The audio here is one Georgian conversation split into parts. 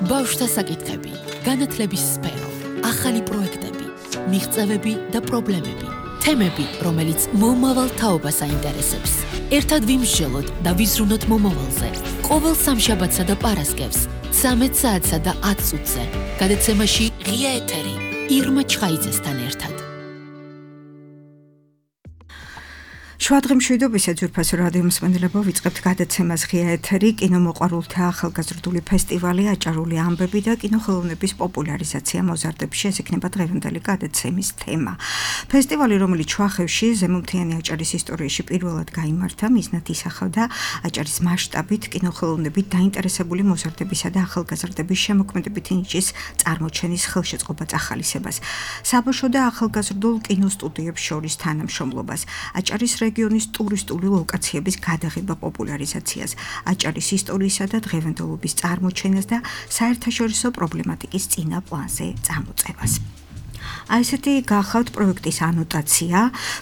ბავშვთა საკითხები, განათლების სფერო, ახალი პროექტები, მიღწევები და პრობლემები, თემები, რომელიც მომავალ თაობას აინტერესებს. ერთად ვიმსჯელოთ და ვიზრუნოთ მომავალზე. ყოველ სამშაბათსა და პარასკევს, 13 საათსა და 10 წუთზე. გადაცემაში ღია ეთერი, ირმა ჩხაიძესთან ერთად. შუადღე მშვიდობისა ძვირფასო რადიო მსმენელებო, ვიწყებთ გადაცემას ღია ეთერი, კინომოყვარულთა ახალგაზრდული ფესტივალი, აჭარული ამბები და კინოხელოვნების პოპულარიზაცია მოზარდებში, ეს იქნება დღევანდელი გადაცემის თემა. ფესტივალი, რომელიც შუახევში ზემოთიანი აჭარის ისტორიაში პირველად გაიმართა, მიზნად ისახავდა აჭარის მასშტაბით კინოხელოვნებით დაინტერესებული მოზარდებისა და ახალგაზრდების შემოქმედებითი ნიჭის წარმოჩენის ხელშეწყობა წახალისებას, საბავშვო და ახალგაზრდულ კინოსტუდიებს შორის თანამშრომლობას, აჭარის რეგიონის ტურისტული ლოკაციების გადაღება პოპულარიზაციას, აჭარის ისტორიისა და დღევანდელობის წარმოჩენას და საერთაშორისო პრობლემატიკის წინა პლანზე წამოწევას. ასეთი გახავთ პროექტის ანოტაცია.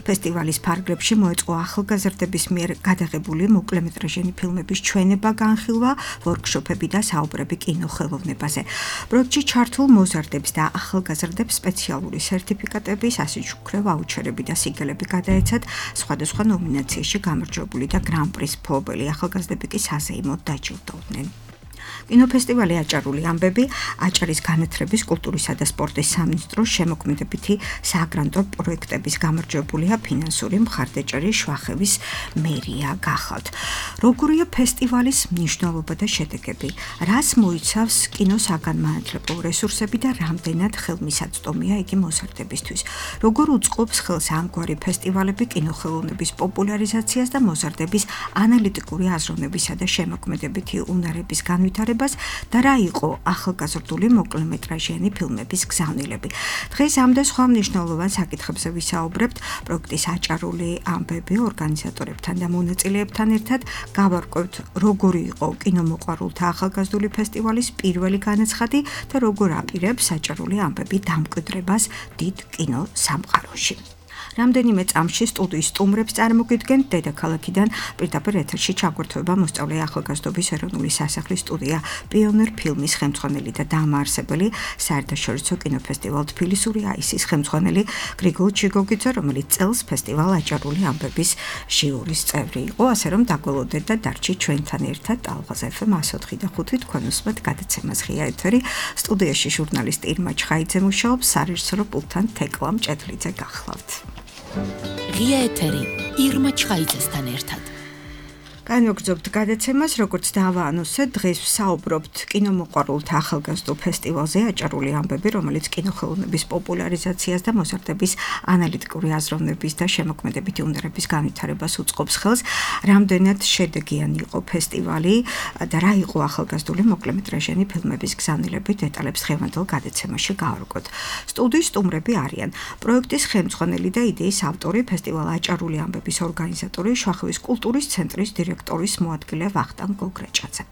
ფესტივალის ფარგლებში მოეწყო ახალგაზრდების მიერ გადაღებული მოკლემეტრაჟიანი ფილმების ჩვენება, განხილვა, ვორქშოპები და საუბრები კინოხელოვნებაზე. პროექტში ჩართულ მოზარდებს და ახალგაზრდებს სპეციალური სერტიფიკატების, ასიჩუქრე ვაუჩერები და სიგელები გადაეცათ. სხვადასხვა ნომინაციაში გამარჯვებული და გრან-პრის მფლობელი ახალგაზრდები კი საზეიმოდ დაჯილდოვდნენ. კინოფესტივალი აჭარული ამბები აჭარის განათლების, კულტურისა და სპორტის სამინისტროს შემოქმედებითი საგრანტო პროექტების გამარჯვებულია ფინანსური მხარდაჭერის შუახევის მერია გახავთ. როგორია ფესტივალის მნიშვნელობა და შედეგები? რას მოიცავს კინოსაგანმანათლებლო რესურსები და რამდენად ხელმისაწვდომია იგი მოზარდებისთვის? როგორ უწყობს ხელს ამგვარი ფესტივალები კინოხელოვნების პოპულარიზაციას და მოზარდების ანალიტიკური აზროვნებისა და შემოქმედებითი უნარების განვითარებას და რა იყო ახალგაზრდული მოკლემეტრაჟიანი ფილმების გზავნილები. დღეს ამ და სხვა მნიშვნელოვან საკითხებზე ვისაუბრებთ პროექტის აჭარული ამბები ორგანიზატორებთან და მონაწილეებთან ერთად. გავარკვევთ, როგორი იყო კინომოყვარულთა ახალგაზრდული ფესტივალის პირველი განაცხადი და როგორ აპირებს აჭარული ამბები დამკვიდრებას დიდ კინოსამყაროში. რამდენიმე წამში სტუდიის სტუმრებს წარმოგიდგენთ დედაქალაქიდან პირდაპირ ეთერში ჩაგვერთვება მოსწავლე ახალგაზრდობის ეროვნული სასახლის სტუდია, პიონერ ფილმის ხელმძღვანელი და დამაარსებელი, საერთაშორისო კინოფესტივალ თბილისური აისის ხელმძღვანელი გრიგოლ ჩიგოგიძე, რომელიც წელს ფესტივალ აჭარული ამბების ჟიურის წევრი იყო, ასე რომ დაგველოდეთ და დარჩით ჩვენთან ერთად. ალღაზ FM 104.5 თქვენ უსმენთ გადაცემას ღია ეთერი. სტუდიაში ჟურნალისტი ირმა ჩხაიძე მუშაობს, სარეჟისორო პულტთან თეკლა მჭედლიძე გახლავთ. ღია ეთერი, ირმა ჩხაიძესთან ერთად. განვაგრძობთ გადაცემას, როგორც დავაანონსეთ, დღეს ვსაუბრობთ კინომოყვარულთა ახალგაზრდულ ფესტივალზე აჭარული ამბები, რომელიც კინოხელოვნების პოპულარიზაციას და მოზარდების ანალიტიკური აზროვნების და შემოქმედებითი უნარების განვითარებას უწყობს ხელს. რამდენად შედეგიანი იყო ფესტივალი და რა იყო ახალგაზრდული მოკლემეტრაჟიანი ფილმების გზავნილები, დეტალებს დღევანდელ გადაცემაში გავარკვევთ. სტუდიის სტუმრები არიან პროექტის ხელმძღვანელი და იდეის ავტორი, ფესტივალ აჭარული ამბების ორგანიზატორი, შუახევის კულტურის ცენტრის დირექტორის მოადგილე ვახტანგ გოგრაჭაძე.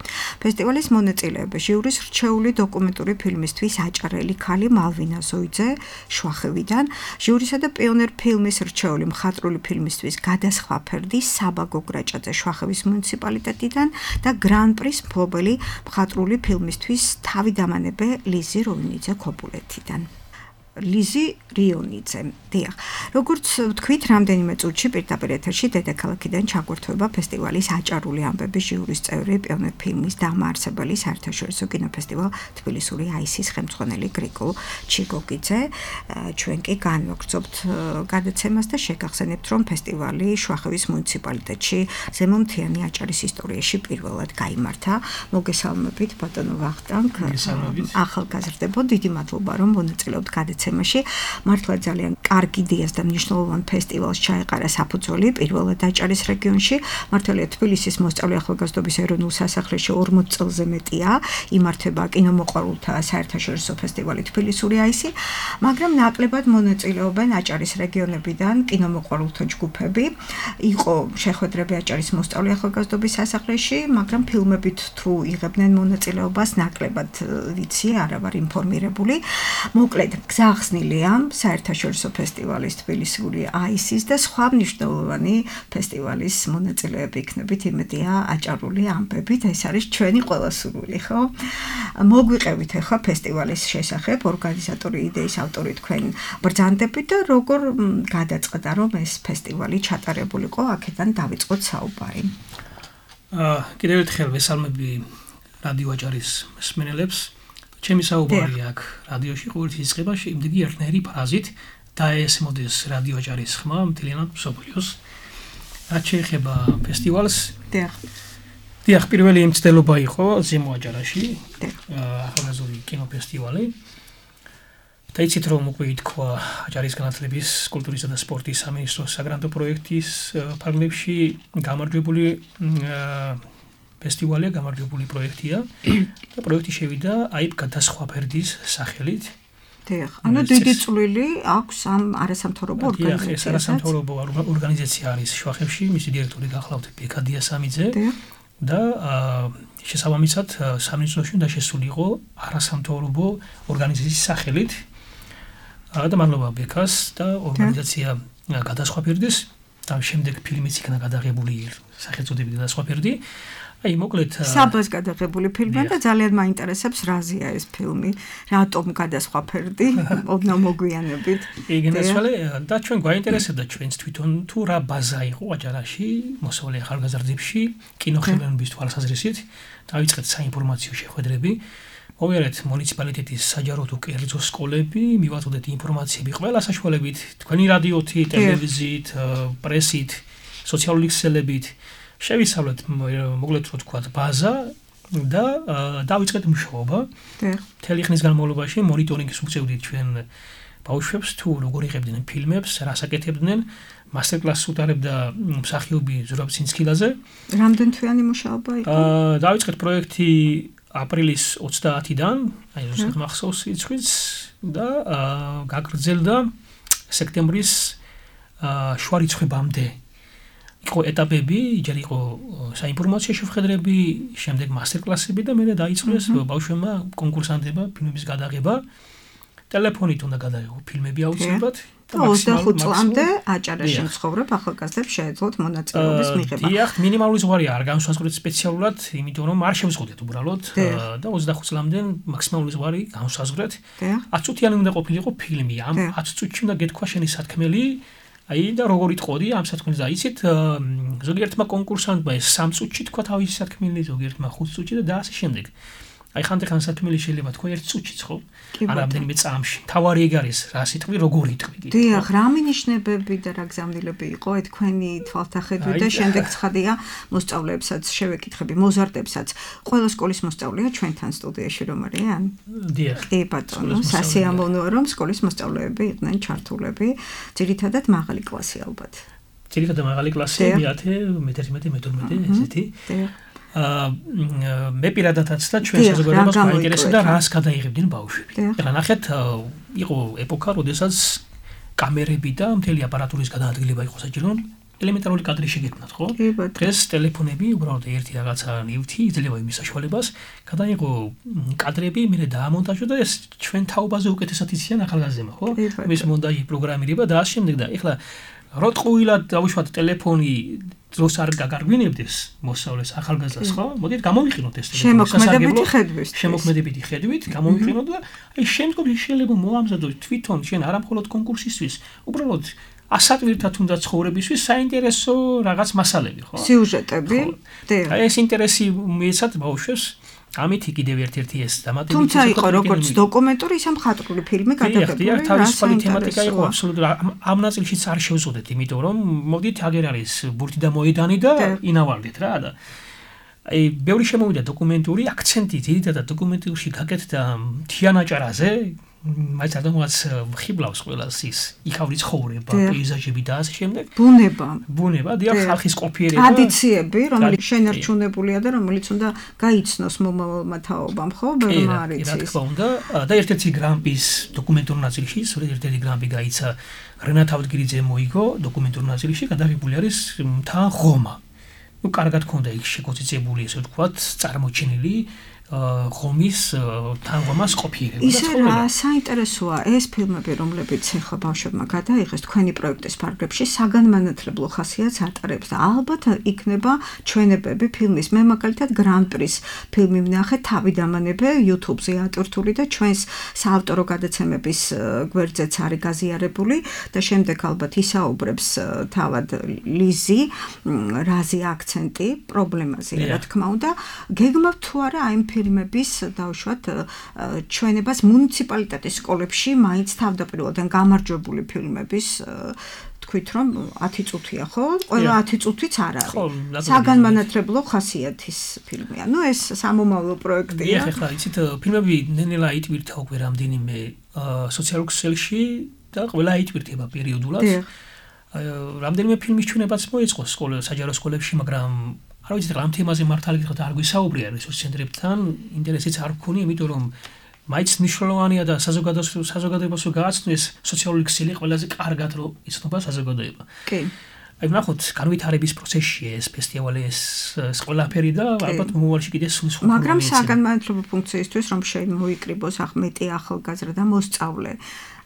ფესტივალის მონაწილეები ჟიურის რჩეული დოკუმენტური ფილმისთვის აჭარელი ქალი მალვინა ზოიძე შუახევიდან, ჟიურისა და პიონერ ფილმის რჩეული მხატვრული ფილმისთვის გადასხვა ფერდი საბა გოგრაჭაძე შუახევის მუნიციპალიტეტიდან და გრან-პრის მფლობელი მხატვრული ფილმისთვის თავიდამანებე ლიზი როინიძე ქობულეთიდან. ლიზი რიონიძე. დიახ. როგორც ვთქვით, რამდენიმე წუთში პირდაპირ ეთერში დედაქალაქიდან ჩაგვერთვება ფესტივალის აჭარული ამბების ჟიურის წევრი, პიონერ ფილმის დამაარსებელი, საერთაშორისო კინოფესტივალ თბილისური აისის ხელმძღვანელი გრიგოლ ჩიგოგიძე. ჩვენ კი განვაგრძობთ გადაცემას და შეგახსენებთ, რომ ფესტივალი შუახევის მუნიციპალიტეტში ზემოთიანი აჭარის ისტორიაში პირველად გაიმართა. მოგესალმებით, ბატონო ვახტანგ. ახალგაზრდებო, დიდი მადლობა, რომ მონაწილეობთ გადაცემაში. მართლა ძალიან კარგი იდეას და მნიშვნელოვან ფესტივალს ჩაეყარა საფუძველი პირველად აჭარის რეგიონში. მართალია თბილისის მოსწავლე ახალგაზრდობის ეროვნულ სასახლეში 40 წელზე მეტია იმართება კინომოყვარულთა საერთაშორისო ფესტივალი თბილისური აისი, მაგრამ ნაკლებად მონაწილეობენ აჭარის რეგიონებიდან კინომოყვარულთა ჯგუფები. იყო შეხვედრები აჭარის მოსწავლე ახალგაზრდობის სასახლეში, მაგრამ ფილმებით თუ იღებდნენ მონაწილეობას ნაკლებად ვიცი, არა ვარ ინფორმირებული. მოკლედ, გზა გახსნილია საერთაშორისო ფესტივალის თბილისური აისის და სხვა მნიშვნელოვანი ფესტივალის მონაწილეები იქნებით, იმედია აჭარული ამბებით, ეს არის ჩვენი ყველა სურვილი, ხო? მოგვიყევით ახლა ფესტივალის შესახებ, ორგანიზატორი, იდეის ავტორი თქვენ ბრძანდებით და როგორ გადაწყდა, რომ ეს ფესტივალი ჩატარებულიყო, აქედან დავიწყოთ საუბარი. კიდევ ერთხელ ვესალმები რადიო აჭარის მსმენელებს. ჩემი საუბარი აქ რადიოში ყოველთვის იწყება იმდენი ერთნაირი ფრაზით დაესმოდეს რადიო აჭარის ხმა მთლიანად მსოფლიოს. რაც შეეხება ფესტივალს. დიახ, პირველი მცდელობა იყო ზემო აჭარაში, ახალგაზრდული კინოფესტივალი. და იცით რომ უკვე ითქვა აჭარის განათლების, კულტურისა და სპორტის სამინისტროს საგრანტო პროექტის ფარგლებში გამარჯვებული ფესტივალია, გამარჯვებული პროექტია და პროექტი შევიდა აი გადასხვა ფერდის სახელით. დიახ, ანუ დიდი წვლილი აქვს ამ არასამთავრობო ორგანიზაციას. ეს არასამთავრობო ორგანიზაცია არის შვახებში, მისი დირექტორი გახლავთ ბექა დიასამიძე და შესაბამისად სამინისტროში უნდა შესულიყო არასამთავრობო ორგანიზაციის სახელით. და მადლობა ბექას და ორგანიზაცია გადასხვა ფერდის და შემდეგ ფილმიც იქნა გადაღებული სახელწოდებით გადასხვა ფერდი. აი მოკლედ საბას გადაღებული ფილმია და ძალიან მაინტერესებს რაზეა ეს ფილმი, რატომ გადასხვა ფერდი, ოდნავ მოგვიანებით. იგენესვალე და ჩვენ გვაინტერესებდა ჩვენც თვითონ თუ რა ბაზა იყო აჭარაში, მოსავლე ახალგაზრდებში, კინოხელოვნების თვალსაზრისით, დავიწყეთ საინფორმაციო შეხვედრები. მოვიარეთ მუნიციპალიტეტის საჯარო თუ კერძო სკოლები, მივაწოდეთ ინფორმაციები ყველა საშუალებით, თქვენი რადიოთი, ტელევიზიით, პრესით, სოციალური ქსელებით. შევისწავლეთ მოკლედ რო თქვა ბაზა და დავიწყეთ მუშაობა. მთელი ხნის განმავლობაში მონიტორინგის უწევდით ჩვენ ბავშვებს თუ როგორ იღებდნენ ფილმებს, რას აკეთებდნენ. მასტერკლასს უტარებდა მსახიობი ზურაბ ცინცქილაძე. რამდენ თვიანი მუშაობა იყო? დავიწყეთ პროექტი აპრილის 30-დან, აი რუსეთ მახსოვს იცხვიც და გაგრძელდა სექტემბრის შუა რიცხვებამდე. იყო ეტაპები, ჯერ იყო საინფორმაციო შეხვედრები, შემდეგ მასტერკლასები და მე დაიწყეს ბავშვებმა კონკურსანტებმა ფილმების გადაღება. ტელეფონით უნდა გადაიღო ფილმები აუცილებლად. 25 წლამდე აჭარაში მცხოვრებ ახალგაზრდებს შეეძლოთ მონაწილეობის მიღება. დიახ, მინიმალური ზღვარი არ განსაზღვრეთ სპეციალურად, იმიტომ რომ არ შევზღუდეთ უბრალოდ და 25 წლამდე მაქსიმალური ზღვარი განსაზღვრეთ. 10 წუთიანი უნდა ყოფილიყო ფილმი. ამ 10 წუთში უნდა გეთქვა შენი სათქმელი. აი და როგორ იტყოდი ამ სათქმელს და იცით ზოგიერთმა კონკურსანტმა ეს 3 წუთში თქვა თავისი სათქმელი, ზოგიერთმა 5 წუთში და ასე შემდეგ. აი ხანდახან სათქმელი შეიძლება თქვა 1 წუთშიც ხო? არა რამდენიმე წამში. თავარი ეგ არის, რა სიტყვი, როგორ იტყვი. დიახ, რა მინიშნებები და რა გზავნილები იყო თქვენი თვალთახედვით და შემდეგ ცხადია მოსწავლეებსაც შევეკითხები, მოზარდებსაც. ყველა სკოლის მოსწავლეა ჩვენთან სტუდიაში რომ არიან? დიახ. კი ბატონო, სასიამოვნოა რომ სკოლის მოსწავლეები იყვნენ ჩართულები, ძირითადად მაღალი კლასი ალბათ. ძირითადად მაღალი კლასი, 10, მე-11, მე-12 ესეთი. დიახ. მე პირადადაც და ჩვენ საზოგადოებას მაინტერესებდა რას გადაიღებდნენ ბავშვები. ეხლა ნახეთ, იყო ეპოქა, როდესაც კამერები და მთელი აპარატურის გადაადგილება იყო საჭირო, ელემენტარული კადრი შეგექმნათ, ხო? დღეს ტელეფონები უბრალოდ ერთი რაღაცა ნივთი იძლევა იმის საშუალებას, გადაიღო კადრები, მე დაამონტაჟო და ეს ჩვენ თაობაზე უკეთესად იციან ახალგაზრდებმა, ხო? მის მონტაჟი, პროგრამირება და ასე შემდეგ და ეხლა რო ტყუილად დავუშვათ ტელეფონი დროს არ გაგარგვინებდეს მოსავლეს ახალგაზრდას, ხო? მოდით გამოვიყენოთ ეს ტელეფონი. შემოქმედებითი ხედვით გამოვიყენოთ და აი შემდგომში შეიძლება მოამზადოთ თვითონ შენ არა მხოლოდ კონკურსისთვის, უბრალოდ ასატვირთა თუნდაც ცხოვრებისთვის საინტერესო რაღაც მასალები, ხო? სიუჟეტები. აი ეს ინტერესი მიეცათ ბავშვებს. ამით კიდევ ერთ-ერთი ეს დამატებით თუმცა იყო როგორც დოკუმენტური, ისე მხატვრული ფილმი გადაღებული. დიახ, თავისუფალი თემატიკა იყო აბსოლუტურად. ამ ნაწილშიც არ შევზღუდეთ, იმიტომ რომ მოდით აგერ არის ბურთი და მოედანი და ინავალდეთ რა და აი ბევრი შემოვიდა დოკუმენტური აქცენტი, ძირითადად დოკუმენტურში გაკეთდა მთიან აჭარაზე, მაინც ადამიანს ხიბლავს ყველას ის იქავრი ცხოვრება, პეიზაჟები და ასე შემდეგ. ბუნება, დიახ, ხალხის ყოფიერება. ტრადიციები, რომელიც შენარჩუნებულია და რომელიც უნდა გაიცნოს მომავალმა თაობამ, ხო? ბევრმა არ იცის. რა თქმა უნდა, და ერთ-ერთი გრამპის დოკუმენტურ ნაწილში, ერთ-ერთი გრამპი გაიცა რენატ ავდგირიძემ მოიგო დოკუმენტურ ნაწილში, გადაღებული არის მთა ღომა. კარგად ქონდა იქ შეგოწიწებული, ესე ვთქვათ, წარმოჩენილი ღომის თანღომას ყოფიერება. ისე რა საინტერესოა ეს ფილმები, რომლებიც ახლა ბავშვებმა გადაიღეს თქვენი პროექტის ფარგლებში, საგანმანათლებლო ხასიათს ატარებს და ალბათ იქნება ჩვენებები ფილმის. მე მაგალითად Grand Prix ფილმი ვნახე თავიდამანებე YouTube-ზე ატვირთული და ჩვენს საავტორო გადაცემების გვერდზეც არის გაზიარებული და შემდეგ ალბათ ისაუბრებს თავად ლიზი რაზე აქცენტი პრობლემაზე რა თქმა უნდა. გეგმავთ თუ არა აი ფილმების დავუშვათ ჩვენებას მუნიციპალიტეტის სკოლებში მაინც თავდაპირველად გამარჯვებული ფილმების თქვით რომ 10 წუთია ხო? ყველა 10 წუთიც არ არის. საგანმანათლებლო ხასიათის ფილმია. ნუ ეს სამომავლო პროექტია. ეხლა იცით ფილმები ნენელა იტვირთა უკვე რამდენიმე სოციალურ ქსელში და ყველა იტვირთება პერიოდულად. რამდენიმე ფილმის ჩვენებაც მოეწყო საჯარო სკოლებში, მაგრამ არ ვიცი რა თემაზე მართალი გიხოთ არ გვისაუბრია რესურს ცენტრებთან, ინტერესიც არ გქონია, იმიტომ რომ მაინც მნიშვნელოვანია და საზოგადოებას გააცნოს სოციალური ქსელი ყველაზე კარგად რომ იცნობა საზოგადოება. კი. აი ნახოთ, განვითარების პროცესში ეს ფესტივალი ეს ყველაფერი და ალბათ მომავალში კიდე სულ სხვა. მაგრამ საგანმანათლებლო ფუნქციისთვის რომ შემოიკრიბოს მეტი ახალგაზრდა და მოსწავლე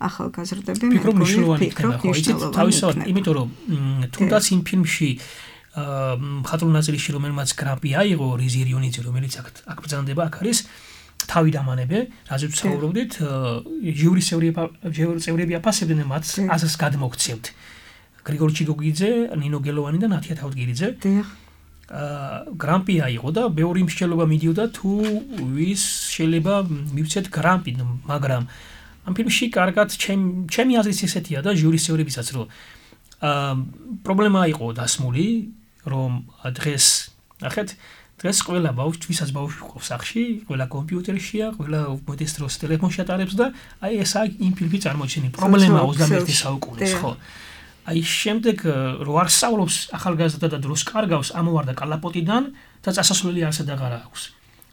ახალგაზრდები მე მგონი თავისთავად, იმიტომ რომ თუნდაც იმ ფილმში მხატვრულ ნაწილში რომელმაც გრამპი აიღო რიზი რიონიძე რომელიც აქ ბრძანდება აქ არის თავიდამანებე რაზეც საუბრობდით ჟიურის წევრები აფასებდნენ მათ აზრს გადმოგცემთ გრიგორ ჩიგოგიძე ნინო გელოვანი და ნათია თავდგირიძე გრამპი აიღო და ბევრი მსჯელობა მიდიოდა თუ ვის შეიძლება მივცეთ გრამპი მაგრამ ამ ფილმში კარგად ჩემი აზრით ესეთია და ჟიურის წევრებისაც რომ პრობლემა იყო დასმული რომ დღეს ნახეთ დღეს ყველა ბავშვი ვისაც ბავშვი ყავს სახში ყველა კომპიუტერშია ყველა მოდის დროს ტელეფონში ატარებს და აი ესა იმ ფილმი წარმოჩენი პრობლემა 21 საუკუნის ხო აი შემდეგ რო არ სწავლობს ახალგაზრდა და დროს კარგავს ამოვარდა კალაპოტიდან და წასასვლელი არსად აღარ აქვს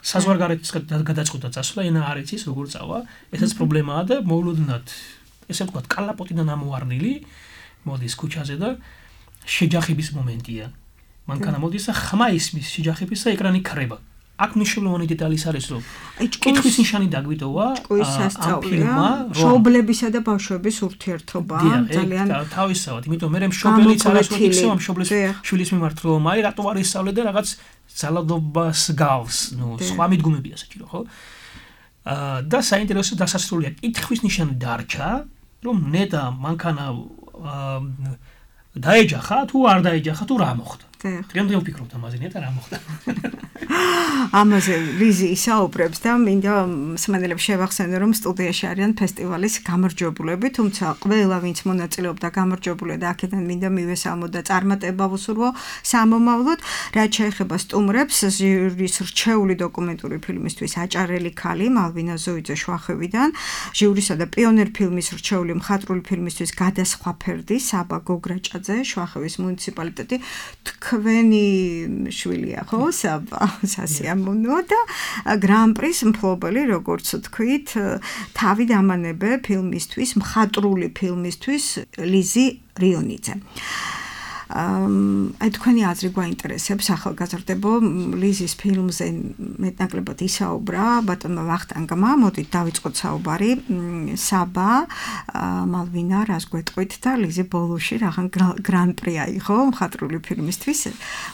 საზღვარგარეთის გადაწყვეტა წასვლა ენა არ იცის როგორ წავა ესაც პრობლემაა და მოულოდნად ესე ვთქვათ კალაპოტიდან ამოვარდნილი მოდის ქუჩაზე და შეჯახების მომენტია. მანქანა მოდის და ხმა ისმის შეჯახების და ეკრანი ქრება. აქ მნიშვნელოვანი დეტალი არის რომ კითხვის ნიშანი დაგვიტოვა ამ ფილმმა მშობლებისა და ბავშვების ურთიერთობა ძალიან თავისთავად, იმიტომ მე მშობელიც არასოდეს იქცევა მშობლის შვილის მიმართ რომ აი რატო არ ისწავლე და რაღაც ძალადობას გავს, ნუ სხვა მიდგომებია საჭირო, ხო? და საინტერესო დასასრულია კითხვის ნიშანი დარჩა, რომ ნეტა მანქანა დაეჯახა თუ არ დაეჯახა თუ რა მოხდა. დღემდე ვფიქრობთ ამაზე ნეტა რა მოხდა. ამაზე ლიზი ისაუბრებს და მინდა მსმენელებს შევახსენო რომ სტუდიაში არიან ფესტივალის გამარჯვებულები, თუმცა ყველა ვინც მონაწილეობდა გამარჯვებულია და აქედან მინდა მივესალმო და წარმატება ვუსურვო სამომავლოდ, რაც შეეხება სტუმრებს, ჟიურის რჩეული დოკუმენტური ფილმისთვის აჭარელი ქალი მალვინა ზოიძე შვახევიდან, ჟიურისა და პიონერ ფილმის რჩეული მხატვრული ფილმისთვის გადასხვა ფერდი საბა გოგრაჭაძე შვახევის მუნიციპალიტეტი თქვენი შვილია ხო საბა სასიამოვნოა და Grand Prix მფლობელი როგორც თქვით თავიდამანებე ფილმისთვის მხატვრული ფილმისთვის ლიზი რიონიძე აი თქვენი აზრი გვაინტერესებს ახალგაზრდებო ლიზის ფილმზე მეტნაკლებად ისაუბრა ბატონმა ვახტანგმა მოდით დავიწყოთ საუბარი საბა მალვინა რას გვეტყვით და ლიზი ბოლოში რაღაც Grand Prix აიღო მხატვრული ფილმისთვის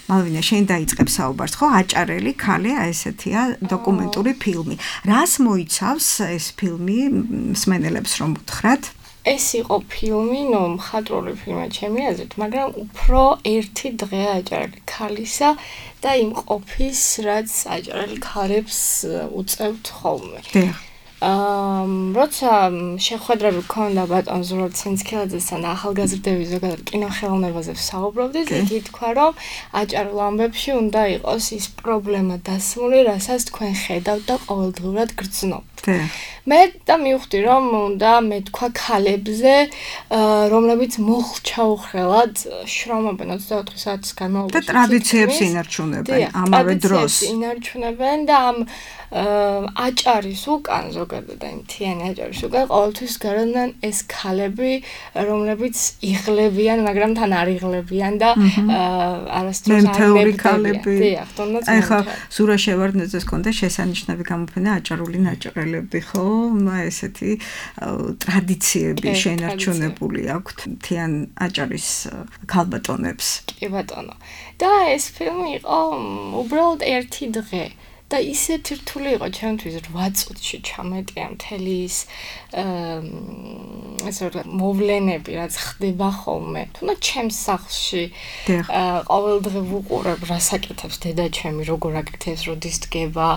მალვინა შენ დაიწყებ საუბარს ხო აჭარელი ქალი ესეთია დოკუმენტური ფილმი რას მოიცავს ეს ფილმი მსმენელებს რომ უთხრათ ეს იყო ფილმი, მხატვრული ფილმი ჩემი აზრით, მაგრამ უფრო ერთი დღე აჭარელი ქალისა და იმ ყოფის, რაც აჭარელი ქალებს უწევთ ხოლმე. როცა შეხვედრები გქონდა ბატონ ზურაბ ცინცქელაძესთან ახალგაზრდების ზოგადად კინოხელოვნებაზე ვსაუბრობდით, იგი თქვა, რომ აჭარულ ამბებში უნდა იყოს ის პრობლემა დასმული, რასაც თქვენ ხედავთ და ყოველდღურად გრძნობთ. მე და მივხვდი რომ უნდა მეთქვა ქალებზე რომლებიც მოხჩაუხრელად შრომობენ 24 საათის განმავლობაში და ტრადიციებს ინარჩუნებენ ამავე დროს ინარჩუნებენ და ამ აჭარის უკან ზოგადად აი მთიანი აჭარის უკან ყოველთვის გარანან ეს ქალები რომლებიც იღლებიან მაგრამ თან არ იღლებიან და არასდროს არ ნებდებიან დიახ თუნდაც აი ხა სურა შევარდნაძეს კონდა შესანიშნავი გამოფენა აჭარული ნაჭრელები ხო ესეთი ტრადიციები შენარჩუნებული აქვთ მთიან აჭარის ქალბატონებს კი ბატონო და ეს ფილმი იყო უბრალოდ ერთი დღე და ისეთი რთული იყო ჩემთვის 8 წუთში ჩამეტია მთელი ის ესე რომ მოვლენები რაც ხდება ხოლმე თუნდაც ჩემს სახლში ყოველდღე ვუყურებ რას აკეთებს დედა ჩემი როგორ აკეთებს როდის დგება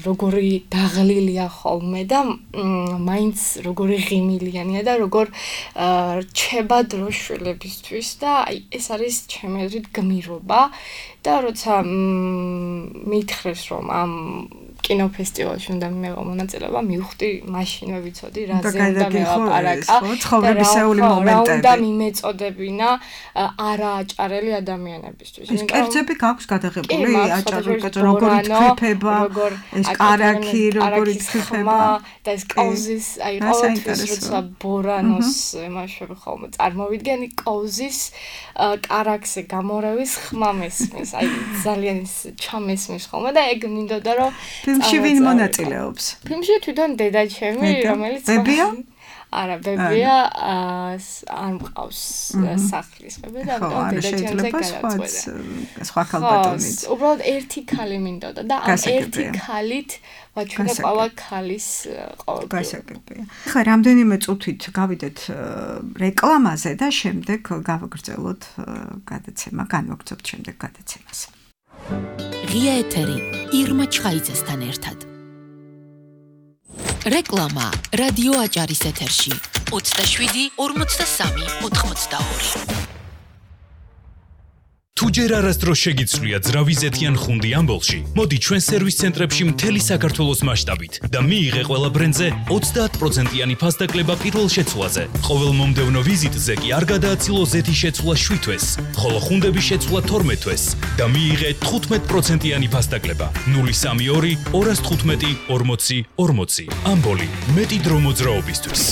როგორი დაღლილია ხოლმე და მაინც როგორი ღიმილიანია და როგორ რჩება დრო შვილებისთვის და აი ეს არის ჩემი აზრით გმირობა და როცა მითხრეს რომ ამ კინოფესტივალში უნდა მიიღო მონაწილეობა, მივხვდი მაშინვე ვიცოდი რაზე უნდა მელაპარაკა. ცხოვრებისეული მომენტები. უნდა მიმეწოდებინა არააჭარელი ადამიანებისთვის. ეს კერძები გაქვს გადაღებული აჭარული კერძი როგორ ითქიფება, ეს კარაქი როგორ ითქიფება და ეს კაუზის აი ყოველთვის როცა ბორანოს ემაშვები ხოლმე წარმოვიდგენი კაუზის კარაქზე გამორევის ხმა მესმის. აი ძალიან ჩამესმის ხოლმე და ეგ მინდოდა რომ ფილმში ვინ მონაწილეობს? ფილმში თვითონ დედა ჩემი, რომელიც ბებია? არა, ბებია არ მყავს სახლის ბებია და დედა ჩემზე გადაწყვეტა. სხვა ქალბატონიც. უბრალოდ ერთი ქალი მინდოდა და ამ ერთი ქალით ვაჩვენე ყველა ქალის გასაგებია. ხა რამდენიმე წუთით გავიდეთ რეკლამაზე და შემდეგ გავაგრძელოთ გადაცემა, განვაგრძობთ შემდეგ გადაცემას. ღია ეთერი ირმა ჩხაიძესთან ერთად. რეკლამა რადიო აჭარის ეთერში 27 43 82. თუ ჯერ არასდროს შეგიცვლია ძრავიზეთიან ხუნდი ამბოლში, მოდი ჩვენ სერვის ცენტრებში მთელი საქართველოს მასშტაბით და მიიღე ყველა ბრენდზე 30%-იანი ფასდაკლება პირველ შეცვლაზე. ყოველ მომდევნო ვიზიტზე კი არ გადააცილო ზეთის შეცვლა 7 თვეს, ხოლო ხუნდების შეცვლა 12 თვეს და მიიღე 15%-იანი ფასდაკლება. 032 215 40 40. ამბოლი, მეტი დრო მოძრაობისთვის.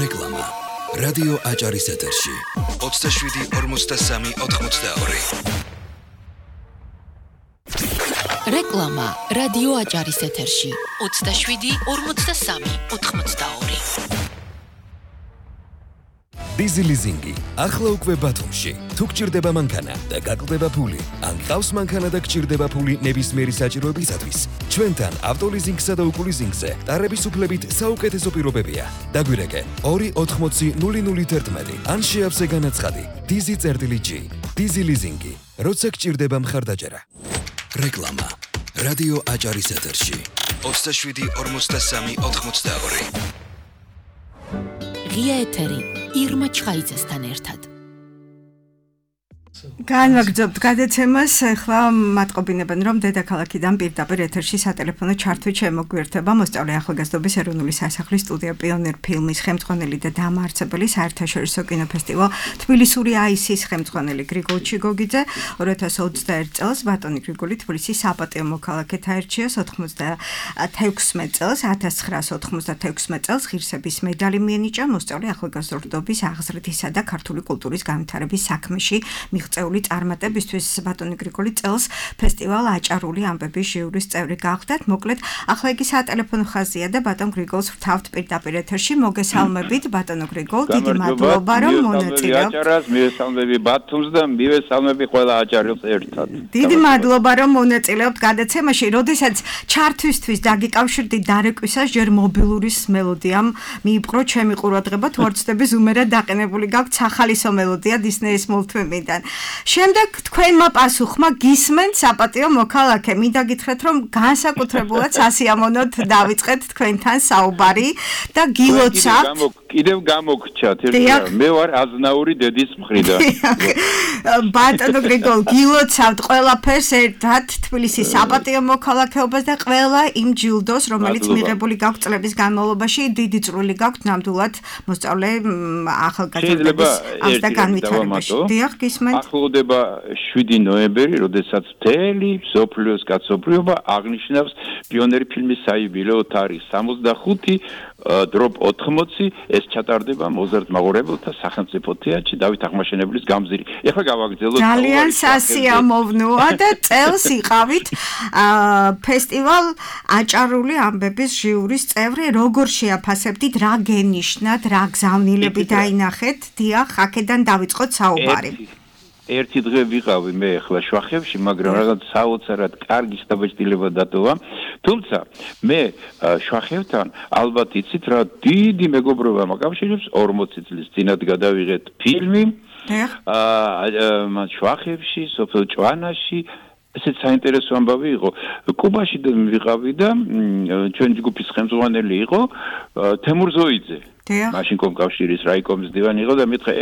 რეკლამა რადიო აჭარის ეთერში 27 43 82. რეკლამა რადიო აჭარის ეთერში 27 43 82. დიზი ლიზინგი ახლა უკვე ბათუმში. თუ გჭირდება მანქანა და გაკლდება ფული, ან ყავს მანქანა და გჭირდება ფული ნებისმიერი საჭიროებისათვის, ჩვენთან ავტოლიზინგსა და უკულიზინგზე ტარების უფლებით საუკეთესო პირობებია. დაგვირეკე 2800011 ან შეავსე განაცხადი DZ-G. დიზი ლიზინგი, როცა გჭირდება მხარდაჭერა. რეკლამა რადიო აჭარის ეთერში 27 43 82. ღია ეთერი ირმა ჩხაიძესთან ერთად. განვაგრძობთ გადაცემას, ახლა მატყობინებენ რომ დედაქალაქიდან პირდაპირ ეთერში სატელეფონო ჩართვით შემოგვიერთება მოსწავლე ახალგაზრდობის ეროვნული სასახლის სტუდია პიონერ ფილმის ხელმძღვანელი და დამაარსებელი საერთაშორისო კინოფესტივალ თბილისური აისის ხელმძღვანელი გრიგოლ ჩიგოგიძე 2021 წელს ბატონი გრიგოლი თბილისის საპატიო მოქალაქედ აირჩიეს 96 წელს 1996 წელს ღირსების მედალი მიენიჭა მოსწავლე ახალგაზრდობის აღზრდისა და ქართული კულტურის განვითარების საქმეში მიღწეული წარმატებისთვის ბატონი გრიგოლი წელს ფესტივალ აჭარული ამბების ჟიურის წევრი გახდათ. მოკლედ, ახლა იგი სატელეფონო ხაზია და ბატონ გრიგოლს ვრთავთ პირდაპირ ეთერში. მოგესალმებით ბატონო გრიგოლ, დიდი მადლობა რომ მონაწილეობთ. აჭარას მივესალმები ბათუმს და მივესალმები ყველა აჭარელს ერთად. დიდი მადლობა რომ მონაწილეობთ გადაცემაში. როდესაც ჩართვისთვის დაგიკავშირდი დარეკვისას ჯერ მობილურის მელოდიამ მიიპყრო ჩემი ყურადღება, თუ არ ვცდები ზუმერად დაყენებული გაქვთ სახალისო მელოდია Disney-ის მულტფილმიდან. შემდეგ თქვენმა პასუხმა გისმენთ საპატიო მოქალაქე. მინდა გითხრათ რომ განსაკუთრებულად სასიამოვნოდ დავიწყეთ თქვენთან საუბარი და გილოცავთ. კიდევ გამოგრჩათ მე ვარ აზნაური დედის მხრიდან. ბატონო გრიგოლ, გილოცავთ ყველაფერს ერთად თბილისის საპატიო მოქალაქეობას და ყველა იმ ჯილდოს, რომელიც მიღებული გაქვთ წლების განმავლობაში. დიდი წვლილი გაქვთ ნამდვილად მოსწავლე ახალგაზრდების აღზრდა განვითარებაში. დიახ, გისმენთ. ახლოვდება 7 ნოემბერი, როდესაც მთელი მსოფლიოს კაცობრიობა აღნიშნავს პიონერი ფილმის საიუბილეო თარიღს 65 დროპ 80 ეს ჩატარდება მოზარდ მაყურებელთა სახელმწიფო თეატრში დავით აღმაშენებლის გამზირი. ეხლა გავაგრძელოთ ძალიან სასიამოვნოა და წელს იყავით ფესტივალ აჭარული ამბების ჟიურის წევრი. როგორ შეაფასებდით, რა გენიშნათ, რა გზავნილები დაინახეთ? დიახ, აქედან დავიწყოთ საუბარი. ერთი დღე ვიყავი მე ახლა შვახებში, მაგრამ რაღაც საოცრად კარგი სტაბილობა დატოვა. თუმცა მე შვახებთან ალბათ იცით რა დიდი მეგობრობა მაკავშირებს 40 წლის წინათ გადავიღეთ ფილმი. შვახებში, სოფელ ჭვანაში ესეც საინტერესო ამბავი იყო. კუბაში ვიყავი და ჩვენი ჯგუფის ხელმძღვანელი იყო თემურ ზოიძე. მაშინ კომკავშირის რაიკომის დივანი იყო და მეთქე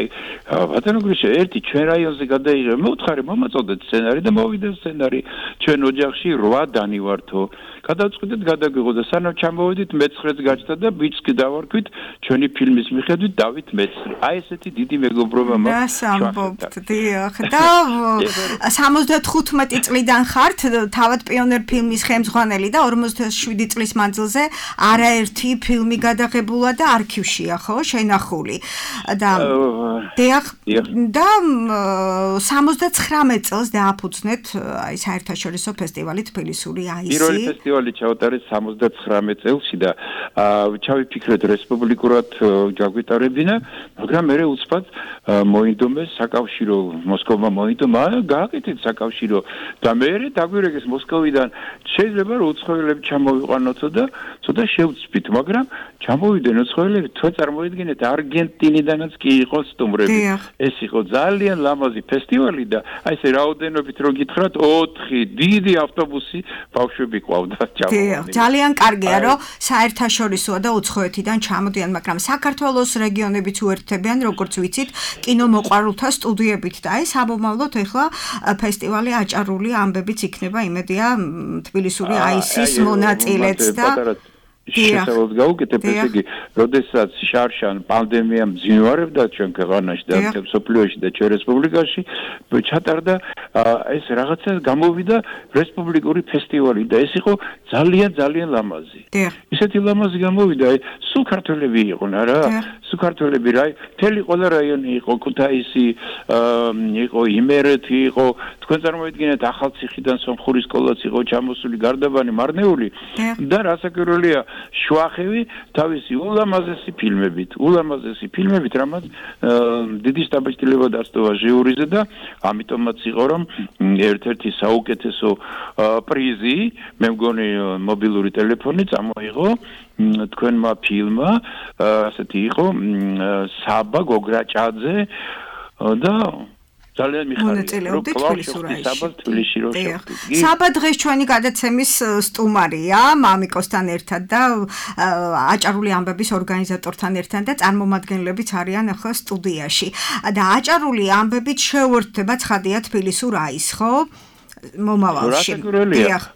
ბატონო გრიშა ერთი ჩვენ რაიონზე გადაიღე მეუთხარი მომაწოდეთ სცენარი და მოვიდა სცენარი ჩვენ ოჯახში 8 დანი ვართო გადავწყვიტეთ გადაგვიღო და სანამ ჩამოვედით მე-9-ს გაჩნდა და ბიჭს დავარქვით ჩვენი ფილმის მიხედვით დავით მე-9 აი ესეთი დიდი მეგობრობა მაქვს ამბობთ დიახ და 75 წლიდან ხართ თავად პიონერ ფილმის ხელმძღვანელი და 47 წლის მანძილზე არაერთი ფილმი გადაღებულა და არქივში ხო შენახული და დიახ და 79 წელს დააფუძნეთ აი საერთაშორისო ფესტივალი თბილისური აისი. პირველი ფესტივალი ჩავატარეთ 79 წელში და ჩავიფიქრეთ რესპუბლიკურად გაგვიტარებინა, მაგრამ მე უცბად მოინდომეს საკავშირო მოსკოვმა მოინდომა, გააკეთეთ საკავშირო და მე დაგვირეკეს მოსკოვიდან შეიძლება რომ უცხოელები ჩამოვიყვანოთო და ცოტა შევწვით, მაგრამ ჩამოვიდნენ უცხოელები წარმოიდგინეთ არგენტინიდანაც კი იყო სტუმრები. ეს იყო ძალიან ლამაზი ფესტივალი და აი ესე რაოდენობით რო გითხრათ 4 დიდი ავტობუსი ბავშვები ყავდა ჩამოვიდნენ. ძალიან კარგია რომ საერთაშორისოა და უცხოეთიდან ჩამოდიან, მაგრამ საქართველოს რეგიონებიც უერთდებიან, როგორც ვიცით, კინომოყვარულთა სტუდიებით და აი საბომავლოდ ეხლა ფესტივალი აჭარული ამბებიც იქნება, იმედია თბილისური აისის მონაწილეც და შესაძლოა გაუკეთებ ესე იგი, როდესაც შარშან პანდემია მძინვარებდა ჩვენ ქვეყანაში და სოფლიოში და ჩვენ რესპუბლიკაში, ჩატარდა ეს რაღაცა გამოვიდა რესპუბლიკური ფესტივალი და ეს იყო ძალიან ლამაზი. ისეთი ლამაზი გამოვიდა, სულ ქართველები იყვნენ რა, სულ ქართველები რა, მთელი ყველა რაიონი იყო, ქუთაისი, იყო იმერეთი, იყო, თქვენ წარმოიდგინეთ ახალციხიდან სომხური სკოლაც იყო ჩამოსული გარდაბანი მარნეული და რასაკვირველია შვახევი თავისი ულამაზესი ფილმებით, რამაც დიდი სტაბილობა დასტოვა ჟიურიზე და ამიტომაც იყო რომ ერთ-ერთი საუკეთესო პრიზი, მე მგონი მობილური ტელეფონი წამოიღო თქვენმა ფილმმა, ასეთი იყო საბა გოგრაჭაძე და ძალიან მიხარია რომ თბილისში რო შევხვდით. საბა დღეს ჩვენი გადაცემის სტუმარია მამიკოსთან ერთად და აჭარული ამბების ორგანიზატორთან ერთად და წარმომადგენლებიც არიან ახლა სტუდიაში. და აჭარული ამბებით შეუერთდება ცხადია თბილისურ აისს, ხო? მომავალში.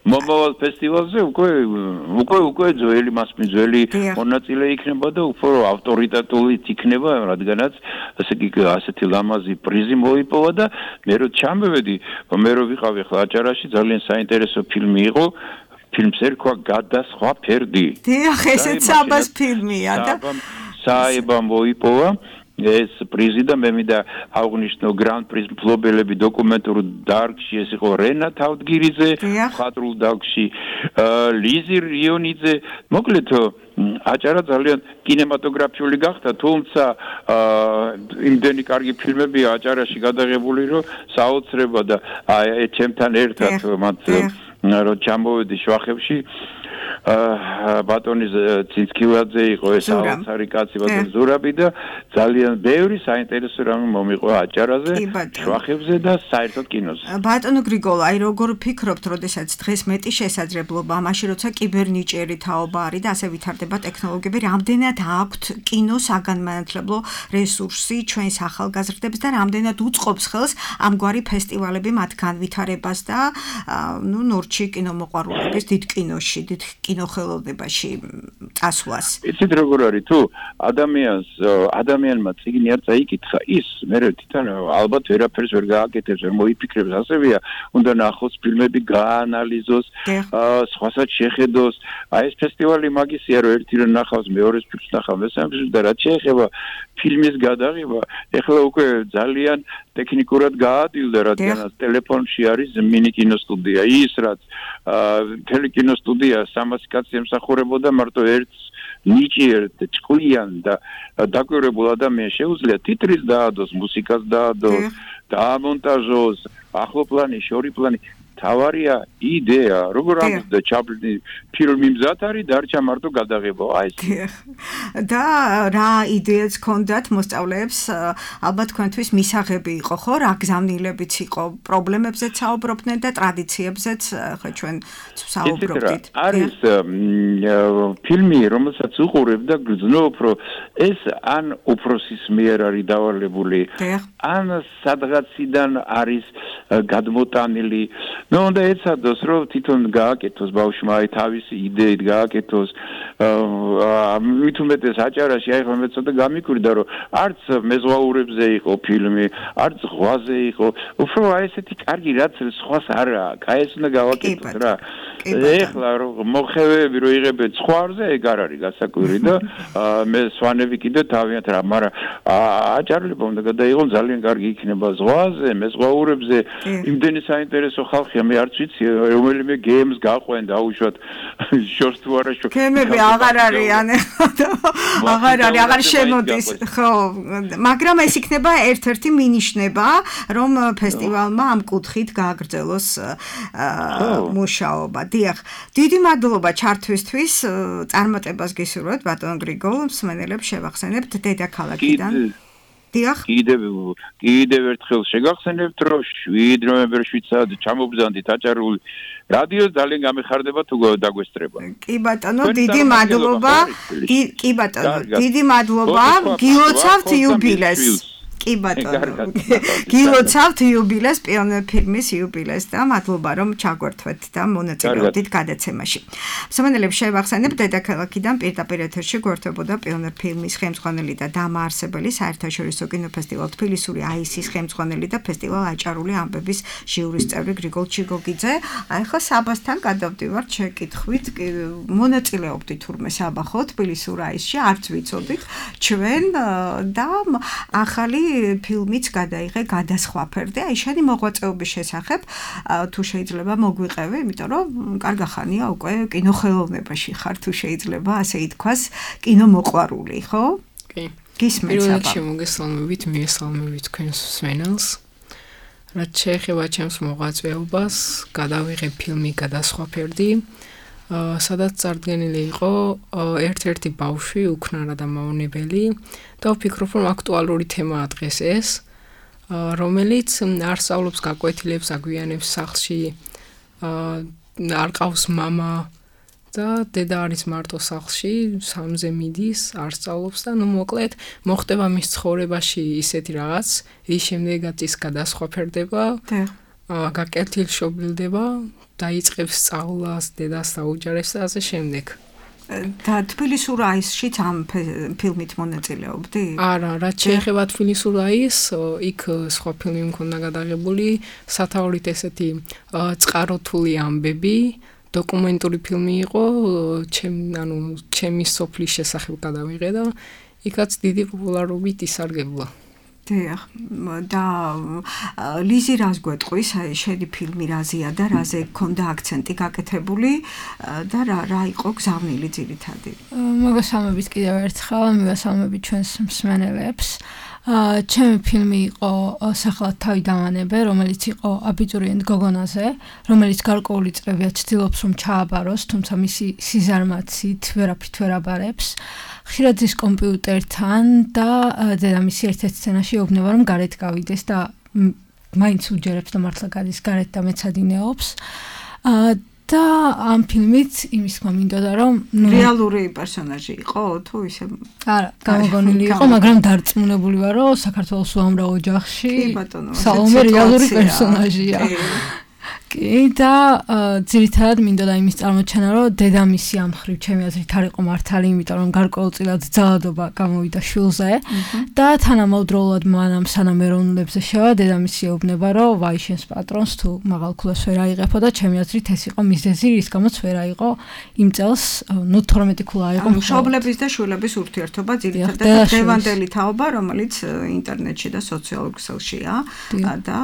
მომავალ ფესტივალზე უკვე ძველი მასპინძელი მონაწილე იქნება და უფრო ავტორიტეტული იქნება, რადგანაც ასეთი ლამაზი პრიზი მოიპოვა და მე რო ჩამოვედი, მე რო ვიყავი ახლა აჭარაში, ძალიან საინტერესო ფილმი იყო. ფილმს ერქვა გადასხვა ფერდი. დიახ, ესეც საბას ფილმია და საება მოიპოვა. ეს პრიზი და მე მინდა აღვნიშნო გრან პრის მფლობელები დოკუმენტურ დარგში, ეს იყო რენა თავდგირიძე, მხატვრულ დარგში ლიზი რიონიძე, მოკლედ აჭარა ძალიან კინემატოგრაფიული გახდა, თუმცა იმდენი კარგი ფილმები აჭარაში გადაღებული, რომ საოცრება და ჩემთან ერთად მათ რო ჩამოვედი შვახებში ბატონი ცინცკილაძე იყო ეს საოცარი კაცი ბატონი ზურაბი და ძალიან ბევრი საინტერესო რამე მომიყვა აჭარაზე, შვახებზე და საერთოდ კინოზე. ბატონო გრიგოლ, აი როგორ ფიქრობთ, როდესაც დღეს მეტი შესაძლებლობა, მაშინ როცა კიბერნიჭიერი თაობა არის და ასე ვითარდება ტექნოლოგიები, რამდენად აქვთ კინოს საგანმანათლებლო რესურსი ჩვენს ახალგაზრდებს და რამდენად უწყობს ხელს ამგვარი ფესტივალები მათ განვითარებას და ნორჩი კინომოყვარულების დიდ კინოში, დიდ კინოხელოვნებაში წასვლას. იცით როგორ არის თუ ადამიანმა წიგნი არ წაიკითხა ის მე თვითონ ალბათ ვერაფერს ვერ გააკეთებს ვერ მოიფიქრებს ასევეა უნდა ნახოს ფილმები გაანალიზოს სხვასაც შეხედოს აი ეს ფესტივალი მაგისია რომ ერთი რომ ნახავს მეორეს ფილმს ნახავ მესამეს და რაც შეეხება ფილმის გადაღება ეხლა უკვე ძალიან ტექნიკურად გაადვილდა რადგანაც ტელეფონში არის მინი კინოსტუდია ის რაც ტელეკინოსტუდია 300 კაცი ემსახურებოდა მარტო ერთს ნიჭიერ ჭკვიან და დაკვირვებულ ადამიანს შეუძლია ტიტრის დაადოს მუსიკას დაადოს დაამონტაჟოს ახლო პლანი შორი პლანი თავარია იდეა როგორ ამბობდა ჩაპლინი ფილმი მზად არის დარჩა მარტო გადაღება აი ეს და რა იდეაც ჰქონდათ მოსწავლეებს ალბათ თქვენთვის მისაღები იყო ხო რა გზავნილებიც იყო პრობლემებზეც საუბრობდნენ და ტრადიციებზეც ხო ჩვენ საუბრობდით არის ფილმი რომელსაც უყურებ და გძნობ რომ ეს ან უფროსის მიერ არის დავალებული ან სადღაციდან არის გადმოტანილი ნუ უნდა ეცადოს რომ თვითონ გააკეთოს ბავშვმა აი თავისი იდეით გააკეთოს მით უმეტეს აჭარაში აი ხომ მე ცოტა გამიკვირდა რომ არც მეზღვაურებზე იყო ფილმი არც ზღვაზე იყო უფრო აი ესეთი კარგი რაც სხვას არ აქვს აი ეს უნდა გავაკეთოს რა ეხლა რომ მოხევები რო იღებენ ზღვაზე ეგ არ არის გასაკვირი და მე სვანები კიდე თავიანთ რა მაგრამ აჭარლებმა უნდა გადაიღონ ძალიან კარგი იქნება ზღვაზე მეზღვაურებზე იმდენი საინტერესო ხალხია მე არც ვიცი რომელიმე გეიმს გაყვენ დაუშვათ შორს თუ არა შორს გემები აღარ არიან აღარ შემოდის ხო მაგრამ ეს იქნება ერთ-ერთი მინიშნება რომ ფესტივალმა ამ კუთხით გააგრძელოს მუშაობა დიახ დიდი მადლობა ჩართვისთვის წარმატებას გისურვებთ ბატონ გრიგოლ მსმენელებს შევახსენებთ დედაქალაქიდან დიახ კიდევ ერთხელ შეგახსენებთ რომ 7 ნოემბერში ჩამობრძანდით აჭარული რადიო ძალიან გამეხარდება თუ დაგვესწრება კი ბატონო დიდი მადლობა კი ბატონო დიდი მადლობა გილოცავთ იუბილეს კი ბატონო გილოცავთ იუბილეს პიონერ ფილმის იუბილეს და მადლობა რომ ჩაგვერთვეთ და მონაწილეობდით გადაცემაში მსმენელებს შევახსენებ დედაქალაქიდან პირდაპირ ეთერში გვერდებოდა პიონერ ფილმის ხელმძღვანელი და დამაარსებელი საერთაშორისო კინოფესტივალ თბილისური აისის ხელმძღვანელი და ფესტივალ აჭარული ამბების ჟიურის წევრი გრიგოლ ჩიგოგიძე აი ხო საბასთან გადავდივართ შეკითხვით მონაწილეობდით თურმე საბა ხო თბილისურ აისში არც ვიცოდით ჩვენ და ახალი ფილმიც გადაიღე გადასხვაფერდე აი შენი მოღვაწეობის შესახებ თუ შეიძლება მოგვიყევი იმიტომ რომ კარგახანია უკვე კინოხელოვნებაში ხარ თუ შეიძლება ასე ითქვას კინომოყვარული ხო კი გისმენთ პირველ რიგში მოგესალმებით მიესალმებით თქვენს მსმენელს რაც შეეხება ჩემს მოღვაწეობას გადავიღე ფილმი გადასხვაფერდი სადაც წარდგენილი იყო ერთ-ერთი ბავშვი უქნარა და მავნებელი და ვფიქრობ რომ აქტუალური თემაა დღეს ეს რომელიც არ სწავლობს გაკვეთილებს აგვიანებს სახლში არ ყავს მამა და დედა არის მარტო სახლში სამზე მიდის არ სწავლობს და ნუ მოკლედ მოხდება მის ცხოვრებაში ისეთი რაღაც რის შემდეგაც ის გადასხვაფერდება გაკეთილშობილდება დაიწყებს სწავლას დედას დაუჯერებს და ასე შემდეგ და თბილისურ აისშიც ამ ფილმით მონაწილეობდი? არა, რაც შეეხება თბილისურ აისს, იქ სხვა ფილმი მქონდა გადაღებული, სათაურით ესეთი წყაროთული ამბები, დოკუმენტური ფილმი იყო, ჩემი სოფლის შესახებ გადავიღე და იქაც დიდი პოპულარობით ისარგებლა. დიახ, და ლიზი რას გვეტყვის, შენი ფილმი რაზეა და რაზე გქონდა აქცენტი გაკეთებული და რა იყო გზავნილი ძირითადი? მოგესალმებით კიდევ ერთხელ, მოგესალმებით ჩვენს მსმენელებს. ჩემი ფილმი იყო სახელად თავი დავანებე, რომელიც იყო აბიტურიენტ გოგონაზე, რომელიც გარკვეული წლებია ცდილობს რომ ჩააბაროს, თუმცა მისი სიზარმაცით ვერაფრით ვერ აბარებს. ხშირად ზის კომპიუტერთან და დედამისი ერთ-ერთ სცენაში ეუბნება რომ გარეთ გავიდეს და მაინც უჯერებს და მართლა გადის გარეთ და მეცადინეობს. და ამ ფილმით იმის თქმა მინდოდა რომ რეალური პერსონაჟი იყო თუ ისე არა გამოგონილი იყო მაგრამ დარწმუნებული ვარ რომ საქართველოს უამრავ ოჯახში სალომე რეალური პერსონაჟია კი და ძირითადად მინდოდა იმის წარმოჩენა, რომ დედამისი ამ ხრივ ჩემი აზრით არ იყო მართალი, იმიტომ რომ გარკვეულწილად ძალადობა გამოვიდა შვილზე და თანამედროვულად მანამ სანამ ეროვნულებზე შევა, დედამისი ეუბნება, რომ ვაი შენს პატრონს თუ მაღალქულას ვერ აიღებო და ჩემი აზრით ეს იყო მიზეზი, რის გამოც ვერ აიღო იმ წელს, 12 ქულა აიღო. მშობლების და შვილების ურთიერთობა ძირითადად დევანდელი თაობა, რომელიც ინტერნეტში და სოციალურ ქსელშია და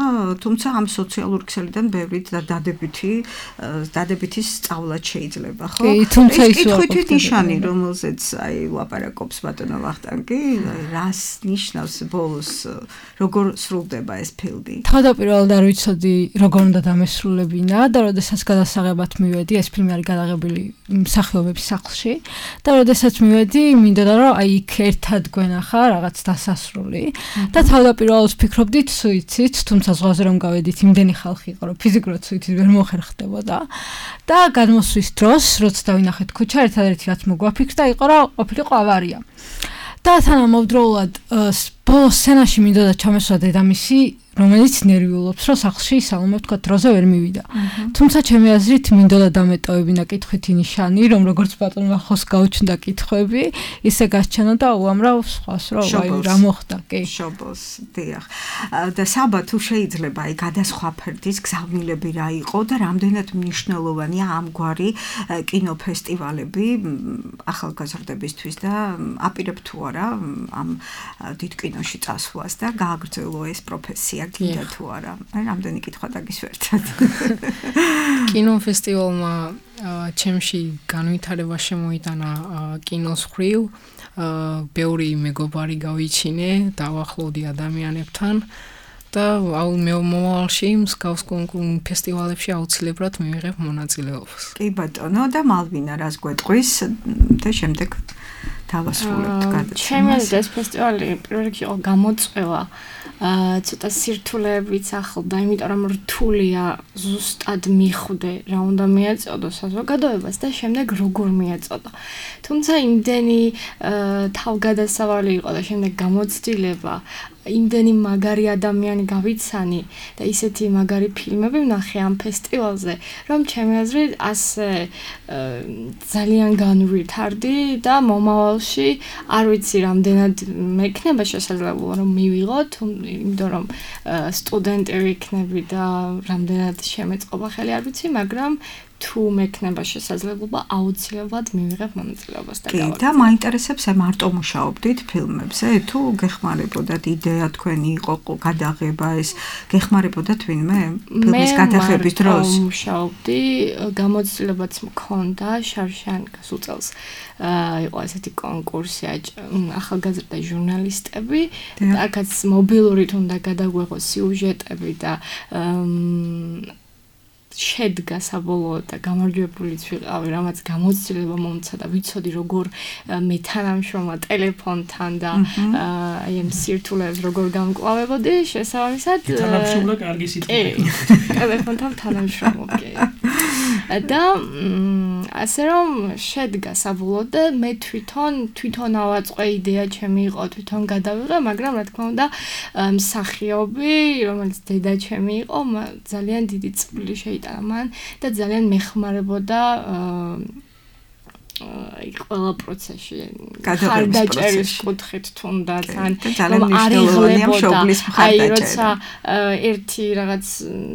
თუმცა ამ სოციალურ ქსელიდან ბევრი დადებითი სწავლაც შეიძლება, ხო? თუმცა ის კითხვითი ნიშანი, რომელზეც აი ლაპარაკობს ბატონო ვახტანგი, რას ნიშნავს ბოლოს, როგორ სრულდება ეს ფილმი? თავდაპირველად არ ვიცოდი, როგორ უნდა დამესრულებინა და როდესაც გადასაღებად მივედი, ეს ფილმი არის გადაღებული მსახიობების სახლში და როდესაც მივედი, მინდოდა რომ აი იქ ერთად გვენახა რაღაც დასასრული და თავდაპირველად ვფიქრობდით სუიციდს, თუმცა ზღვაზე რომ გავედით, იმდენი ხალხი იყო, რომ ფიზიკურად სუიციდს ვერ მოხერხდებოდა და გადმოსვის დროს, როცა დავინახეთ ქუჩა, ერთადერთი რაც მოგვაფიქრდა იყო, რომ ყოფილიყო ავარია. და თანამედროვულად ბოლოს სცენაში მინდოდა ჩამესვა დედამისი, რომელიც ნერვიულობს, რომ სახლში სალომე თქვა დროზე ვერ მივიდა. თუმცა ჩემი აზრით მინდოდა დამეტოვებინა კითხვითი ნიშანი, რომ როგორც ბატონმა ხოს გაუჩნდა კითხვები, ისე გაჩვენა და უამრავ სხვას, რომ აი რა მოხდა, კი. შობოს, დიახ. და საბა თუ შეიძლება აი გადასხვა ფერდის გზავნილები რა იყო და რამდენად მნიშვნელოვანია ამგვარი კინოფესტივალები ახალგაზრდებისთვის და აპირებ თუ არა ამ დიდ კინოში წასვლას და გააგრძელო ეს პროფესია. გინდა თუ არა. აი რამდენი კითხვა დაგისვერდათ. კინოფესტივალმა ჩემში განვითარება შემოიტანა კინოს ხრივ, ბევრი მეგობარი გავიჩინე, დავახლოვდი ადამიანებთან და მომავალში მსგავს ფესტივალებში აუცილებლად მივიღებ მონაწილეობას. კი ბატონო და მალვინა რას გვეტყვის და შემდეგ დავასრულებთ გადაცემას. ჩემი აზრით ეს ფესტივალი პირველ რიგში იყო გამოწვევა ცოტა სირთულეებიც ახლდა, იმიტომ რომ რთულია ზუსტად მიხვდე რა უნდა მიეწოდო საზოგადოებას და შემდეგ როგორ მიეწოდო. თუმცა იმდენი თავგადასავალი იყო და შემდეგ გამოცდილება, იმდენი მაგარი ადამიანი გავიცანი და ისეთი მაგარი ფილმები ვნახე ამ ფესტივალზე, რომ ჩემი აზრით ასე ძალიან განვითარდი და მომავალში არ ვიცი რამდენად მექნება შესაძლებლობა რომ მივიღოთ, იმიტომ რომ სტუდენტი ვიქნები და რამდენად შემეწყობა ხელი არ ვიცი, მაგრამ თუ მექნება შესაძლებლობა აუცილებლად მივიღებ მონაწილეობას და გავაკეთებ. და მაინტერესებს მარტო მუშაობდით ფილმებზე, თუ გეხმარებოდათ იდეა თქვენი იყო გადაღება ეს, გეხმარებოდათ ვინმე ფილმის გადაღების დროს? მე მუშაობდი, გამოცდილებაც მქონდა შარშან გასულ წელს. იყო ესეთი კონკურსი ახალგაზრდა ჟურნალისტები, აქაც მობილურით უნდა გადაგვეღო სიუჟეტები და შედგა საბოლოოდ და გამარჯვებულიც ვიყავი, რამაც გამოცდილება მომცა და ვიცოდი როგორ მეთანამშრომლა ტელეფონთან და აი ამ სირთულეებს როგორ გამკლავებოდი, შესაბამისად თანამშრომლა კარგი სიტყვაა. ტელეფონთან თანამშრომლობდი. და ასე რომ შედგა საბოლოოდ და მე თვითონ ავაწყე იდეა ჩემი იყო, თვითონ გადავიღე, მაგრამ რა თქმა უნდა მსახიობი, რომელიც დედა ჩემი იყო, ძალიან დიდი წვლილი შეიტანა მან და ძალიან მეხმარებოდა აი ყველა პროცესში ხარდაჭერის კუთხით თუნდაც ან აი როცა ერთი რაღაც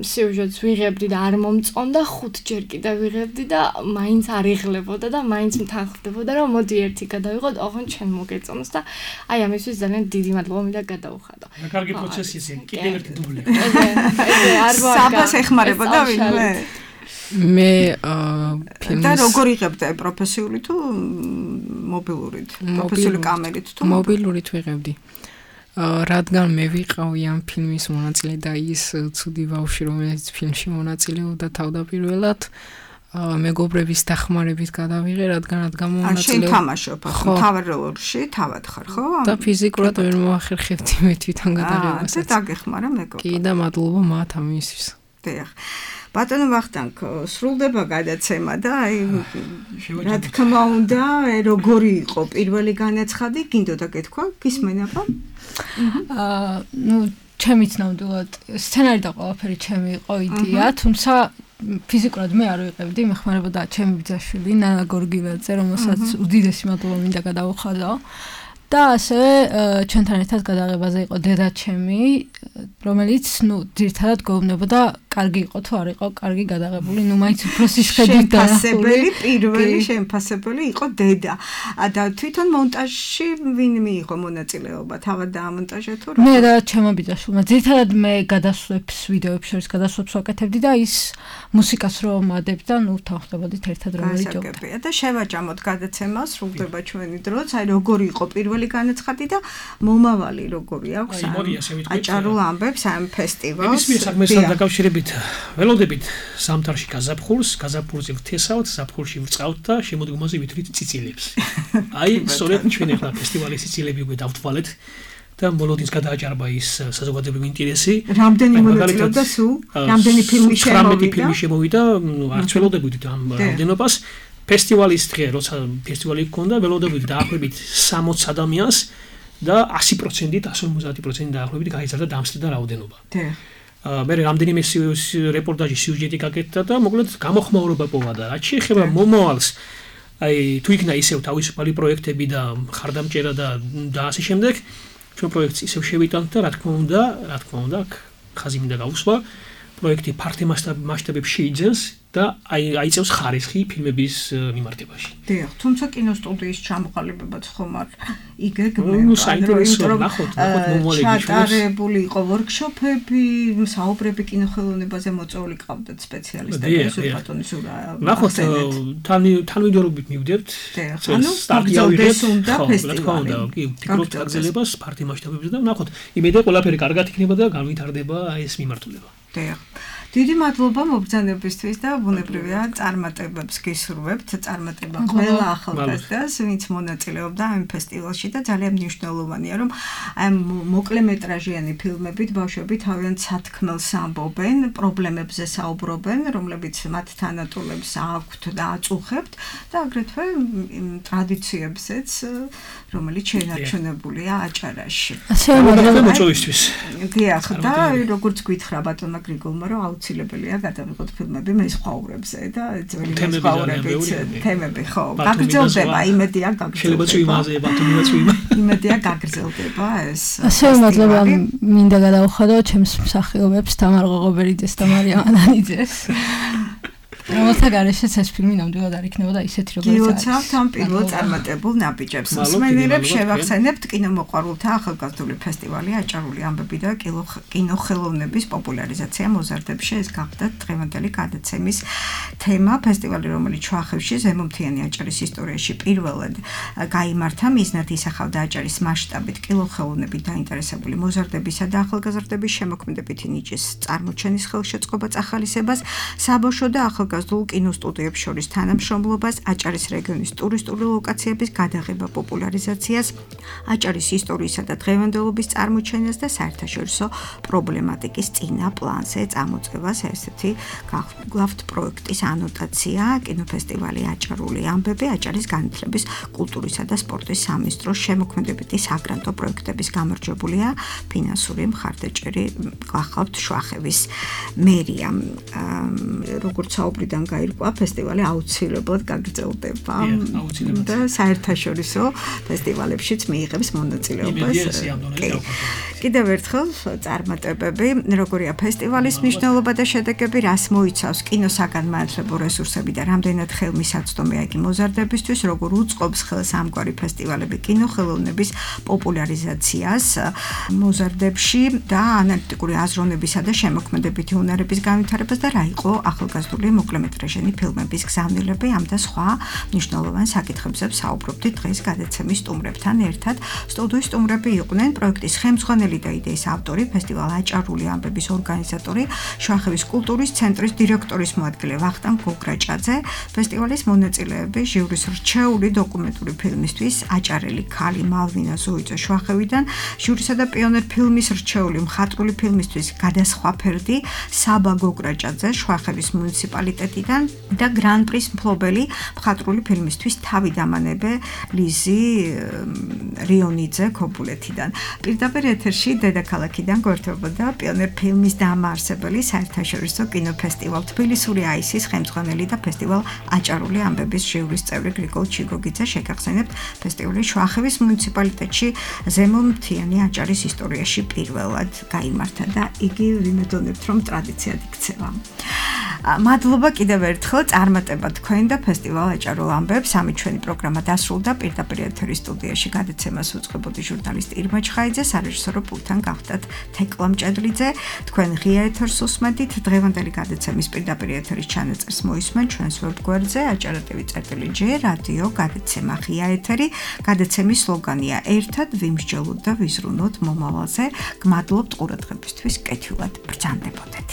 სიუჟეტს ვიღებდი და არ მომწონდა, 5 ჯერ კიდე ვიღებდი და მაინც არ იღლებოდა და მაინც მთანხმდებოდა რომ მოდი ერთი გადავიღოთ, ოღონდ ჩვენ მოგეწონოს და აი ამისთვის ძალიან დიდი მადლობა მინდა გადაუხადო. კარგი პროცესია, კიდევ ერთი დუბლი. საბას ეხმარებოდა ვინმე? მე ფილმის და როგორ იღებდა პროფესიული თუ მობილურით? პროფესიული კამერით თუ მობილურით ვიღებდი. რადგან მე ვიყავი ამ ფილმის მონაწილე და ის ცუდი ბავშვი, რომელიც ფილმში მონაწილეობდა თავდაპირველად, მეგობრების დახმარებით გადავიღე, რადგანაც გამომონაწილე. შენ თამაშობ, თავად როლში, თავად ხარ, ხო? და ფიზიკურად ვერ მოახერხებდი მე თვითონ გადაღებას. და დაგეხმარა მეგობრებმა. კი და მადლობა მათ ამისთვის. დიახ. ბატონო ვახტანგ, სრულდება გადაცემა და აი რა თქმა უნდა, როგორი იყო პირველი განაცხადი, გინდოდა გეთქვა, გისმენაბა? ჩემიც ნამდვილად სცენარი და ყველაფერი ჩემი იყო იდეა, თუმცა ფიზიკურად მე არ ვიყევდი, მეხმარებოდა ჩემი ბიძაშვილი ნანა გორგილაძე, რომელსაც უდიდესი მადლობა მინდა გადავუხადო. და ასევე ჩვენთან ერთად გადაღებაზე იყო დედა ჩემი, რომელიც, ძირითადად გვეუბნებოდა, კარგი იყო თუ არ იყო კარგი გადაღებული, მაინც უფრო სიშვედით დასახული. პირველი შემფასებელი იყო დედა. და თვითონ მონტაჟში ვინ მიიღო მონაწილეობა? თავად დაამონტაჟა თუ რა? მე და ჩემო ბიძაშვილმა. ძირითადად მე გადასვლებს, ვიდეოებს შორის გადასვლებს ვაკეთებდი და ის მუსიკას რომ ადებდა, თავხდებოდით ერთად რომ ვიჯობდით. და შევაჭამოთ გადაცემა, სრულდება ჩვენი დროც, აი როგორი იყო პირველი განაცხადი და მომავალი როგორი აქვს აჭარულ ამბებს ამ ფესტივალს. ის საქმესთან დაკავშირებით ველოდებით ზამთარში გაზაფხულზე ვთესავთ, ზაფხულში ვწყავთ და შემოდგომაზე ვითვლით ციცილებს. აი, სწორედ ჩვენ ახლა ფესტივალის ციცილები უკვე დავთვალეთ და მოლოდინს გადააჭარბა ის საზოგადოებრივი ინტერესი. რამდენი მონაწილეობდა სულ? რამდენი ფილმი შემოვიდა? 18 ფილმი შემოვიდა, არც ველოდებოდით ამ რამდენობას. ფესტივალის დღე, როცა ფესტივალი გქონდა, ველოდებოდით დაახლოებით 60 ადამიანს და 100%-ით, 150%-ით დაახლოებით გაიზარდა დამსწრე და რაოდენობა. მე რამდენიმე რეპორტაჟი სიუჟეტი გაკეთდა და მოკლედ გამოხმაურება პოვა და რაც შეეხება მომავალს, აი თუ იქნა ისევ თავისუფალი პროექტები და ხარდამჭერა და ასე შემდეგ, ჩვენ პროექტს ისევ შევიტანთ და რა თქმა უნდა, ხაზი მინდა გავუსვა, პროექტი ფართო მასშტაბებში შეიძენს და აიწევს ხარისხი ფილმების მიმართებაში. დიახ, თუმცა კინოსტუდიის ჩამოყალიბებაც ხომ არ იგეგმება. საინტერესოა, ნახოთ მომავალი ჩატარებული იყო ვორქშოპები, საუბრები კინოხელოვნებაზე მოწვეული ყავდათ სპეციალისტები, ბატონის ურა. ნახოთ, თანმიმდევრობით მივდებთ. ანუ სტარტიავიღეთ უნდა ფესტივალი. ფიქრობთ აგზელებას ფართო მასშტაბებზე და ნახოთ, იმედია ყველაფერი კარგად იქნება და განვითარდება ეს მიმართულება. დიახ. დიდი მადლობა მობრძანებისთვის და ბუნებრივია წარმატებებს გისურვებთ, წარმატება ყველა ახალგაზრდას, ვინც მონაწილეობდა ამ ფესტივალში და ძალიან მნიშვნელოვანია, რომ ამ მოკლემეტრაჟიანი ფილმებით ბავშვები თავიანთ სათქმელს ამბობენ, პრობლემებზე საუბრობენ, რომლებიც მათ თანატოლებს აქვთ და აწუხებთ და აგრეთვე ტრადიციებზეც, რომელიც შენარჩუნებულია აჭარაში. ასე მოწვევისთვის. დიახ, და როგორც გითხრა ბატონმა გრიგოლმა, რომ აუცილებელია გადავიღოთ ფილმები მესხაურებზე და ძველი მესხაურების თემები, ხო, გაგრძელდება, იმედია გაგრძელდება. შეიძლება იმაზე ბატონიაც ვიმა. იმედია გაგრძელდება ეს. ასე მადლობა მინდა გადავხადო ჩემს მსახიობებს თამარ ღოღობერიძეს და მარიამ ანანიძეს. რომელთა გარეშეც ეს ფილმი ნამდვილად არ იქნებოდა ისეთი როგორც არის. გილოცავთ ამ პირველ წარმატებულ ნაბიჯებს. მსმენელებს შევახსენებთ კინომოყვარულთა ახალგაზრდული ფესტივალი აჭარული ამბები და კინოხელოვნების პოპულარიზაცია მოზარდებში. ეს გახდათ დღევანდელი გადაცემის თემა. ფესტივალი, რომელიც შუახევში ზემომთიანი აჭარის ისტორიაში პირველად გაიმართა, მიზნად ისახავდა აჭარის მასშტაბით კინოხელოვნებით დაინტერესებული მოზარდებისა და ახალგაზრდების შემოქმედებითი ნიჭის წარმოჩენის ხელშეწყობას, ახალისებას, საბავშვო და ახალგაზრდულ კინოსტუდიებს შორის თანამშრომლობას, აჭარის რეგიონის ტურისტული ლოკაციების გადაღება, პოპულარიზაციას, აჭარის ისტორიისა და დღევანდელობის წარმოჩენას და საერთაშორისო პრობლემატიკის წინა პლანზე წამოწევას. ესეთი გახლავთ პროექტის ანოტაცია, კინოფესტივალი აჭარული ამბები, აჭარის განათლების, კულტურისა და სპორტის სამინისტროს შემოქმედებითი საგრანტო პროექტების გამარჯვებულია ფინანსური მხარდაჭერი გახლავთ შუახევის მერია. როგორც საუბრიდან გაირკვა, ფესტივალი აუცილებლად გაგრძელდება და საერთაშორისო ფესტივალებშიც მიიღებს მონაწილეობას. კიდევ ერთხელ წარმატებები, როგორია ფესტივალის მნიშვნელობა და შედეგები, რას მოიცავს კინოსაგანმანათლებლო რესურსები და რამდენად ხელმისაწვდომია იგი მოზარდებისთვის, როგორ უწყობს ხელს ამგვარი ფესტივალები კინოხელოვნების პოპულარიზაციას მოზარდებში და ანალიტიკური აზროვნებისა და შემოქმედებითი უნარების განვითარებას და რა იყო ახალგაზრდული მოკლემეტრაჟიანი ფილმების გზავნილები, ამ და სხვა მნიშვნელოვან საკითხებზე საუბრობდით დღეს გადაცემის სტუმრებთან ერთად. სტუდიის სტუმრები იყვნენ პროექტის ხელმძღვანელი და იდეის ავტორი, ფესტივალ აჭარული ამბების ორგანიზატორი, შუახევის კულტურის ცენტრის დირექტორის მოადგილე ვახტანგ გოგრაჭაძე, ფესტივალის მონაწილეები, ჟიურის რჩეული დოკუმენტური ფილმისთვის აჭარელი ქალი მალვინა ზოიძე შუახევიდან, ჟიურისა და პიონერ ფილმის რჩეული მხატვრული ფილმისთვის გადასხვა ფერდი საბა გოგრაჭაძე შუახევის მუნიციპალიტეტიდან რუსეთიდან და გრან პრის მფლობელი მხატვრული ფილმისთვის თავი დამანებე ლიზი რიონიძე ქობულეთიდან. პირდაპირ ეთერში დედაქალაქიდან გვერდებოდა პიონერ ფილმის დამაარსებელი საერთაშორისო კინოფესტივალ თბილისური აისის ხელმძღვანელი და ფესტივალ აჭარული ამბების ჟიურის წევრი გრიგოლ ჩიგოგიძე შეგახსენებთ ფესტივალი შუახევის მუნიციპალიტეტში ზემომთიანი აჭარის ისტორიაში პირველად გაიმართა და იგი ვიმედოვნებთ რომ ტრადიციად იქცევა. მადლობა კიდევ ერთხელ წარმატება თქვენ და ფესტივალ აჭარულ ამბებს. ამით ჩვენი პროგრამა დასრულდა. პირდაპირ ეთერის სტუდიაში გადაცემას უწყებოდი ჟურნალისტი ირმა ჩხაიძე, სარეჟისორო პულტთან გავხდათ თეკლა მჭედლიძე. თქვენ ღია ეთერს უსმენთ. დღევანდელი გადაცემის პირდაპირ ეთერის ჩანაწერს მოისმენ ჩვენს ვებგვერდზე aჭara.tv/J რადიო გადაცემა ღია ეთერი. გადაცემის სლოგანია ერთად ვიმსჯელოთ და ვიზრუნოთ მომავალზე. გმადლობთ ყურადღებისთვის. კეთილად ბრძანდებოდეთ.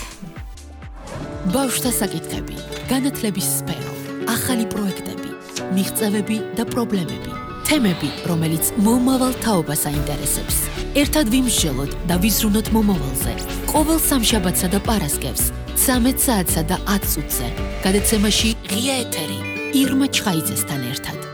ბავშვთა საკითხები, განათლების სფერო, ახალი პროექტები, მიღწევები და პრობლემები, თემები, რომელიც მომავალ თაობას აინტერესებს. ერთად ვიმსჯელოთ და ვიზრუნოთ მომავალზე. ყოველ სამშაბათსა და პარასკევს 13 საათსა და 10 წუთზე. გადაცემაში ღია ეთერი ირმა ჩხაიძესთან ერთად.